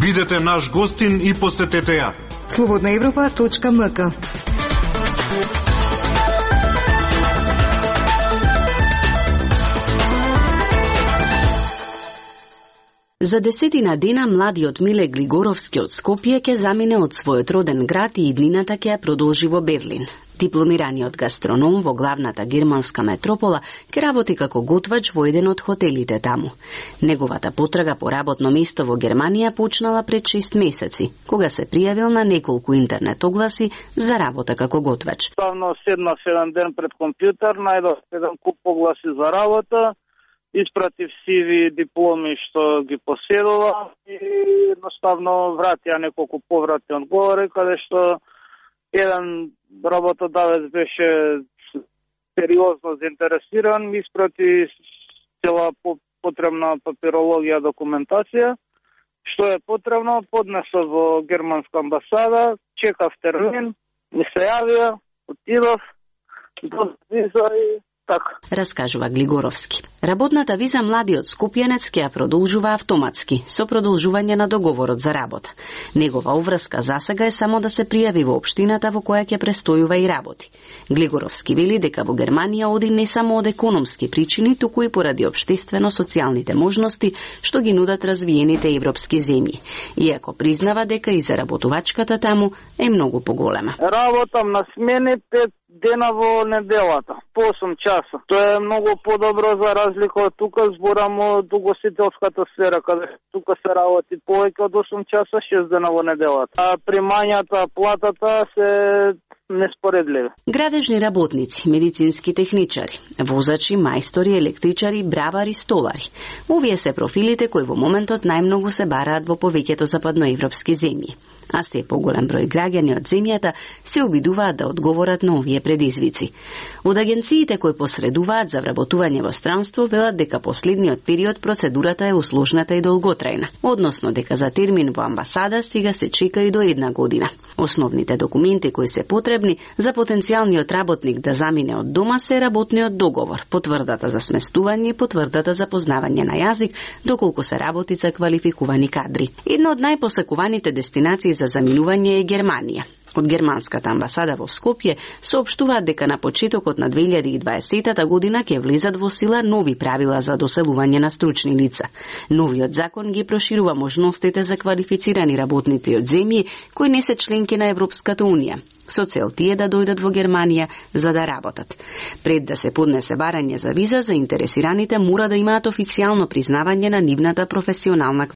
Бидете наш гостин и посетете ја. slobodnaevropa.mk. За 10 дена младиот Миле Глигоровски од Скопје ќе замине од својот роден град и иднината ќе ја продолжи во Берлин. Дипломираниот гастроном во главната германска метропола ќе работи како готвач во еден од хотелите таму. Неговата потрага по работно место во Германија почнала пред 6 месеци, кога се пријавил на неколку интернет огласи за работа како готвач. Ставно седнав еден ден пред компјутер, најдов еден куп огласи за работа, испратив CV дипломи што ги поседувам и едноставно вратија неколку повратни одговори, каде што еден работодавец беше сериозно заинтересиран, ми испрати цела потребна папирологија, документација, што е потребно, поднесов во германска амбасада, чекав термин, ми се јавија, отидов, до виза и така. Раскажува Глигоровски. Работната виза младиот скопјанец ќе ја продолжува автоматски, со продолжување на договорот за работа. Негова обврска засега е само да се пријави во општината во која ќе престојува и работи. Глигоровски вели дека во Германија оди не само од економски причини, туку и поради општествено-социјалните можности што ги нудат развиените европски земји. Иако признава дека и заработувачката таму е многу поголема. Работам на смени 5 дена во неделата, по 8 часа. Тоа е многу подобро за разлика од тука, зборам од угостителската сфера, каде тука се работи повеќе од 8 часа, 6 дена во неделата. А примањата, платата се неспоредливи. Градежни работници, медицински техничари, возачи, мајстори, електричари, бравари, столари. Овие се профилите кои во моментот најмногу се бараат во повеќето западноевропски земји. А се поголем број граѓани од земјата се обидуваат да одговорат на овие предизвици. Од агенциите кои посредуваат за вработување во странство велат дека последниот период процедурата е усложната и долготрајна, односно дека за термин во амбасада стига се чека и до 1 година. Основните документи кои се потребни за потенцијалниот работник да замине од дома се работниот договор, потврдата за сместување и потврдата за познавање на јазик, доколку се работи за квалификувани кадри. Една од најпосакуваните дестинации за заминување е Германија. Од германската амбасада во Скопје соопштуваат дека на почетокот на 2020 година ќе влезат во сила нови правила за доселување на стручни лица. Новиот закон ги проширува можностите за квалифицирани работници од земји кои не се членки на Европската унија, со цел тие да дојдат во Германија за да работат. Пред да се поднесе барање за виза, заинтересираните мора да имаат официјално признавање на нивната професионална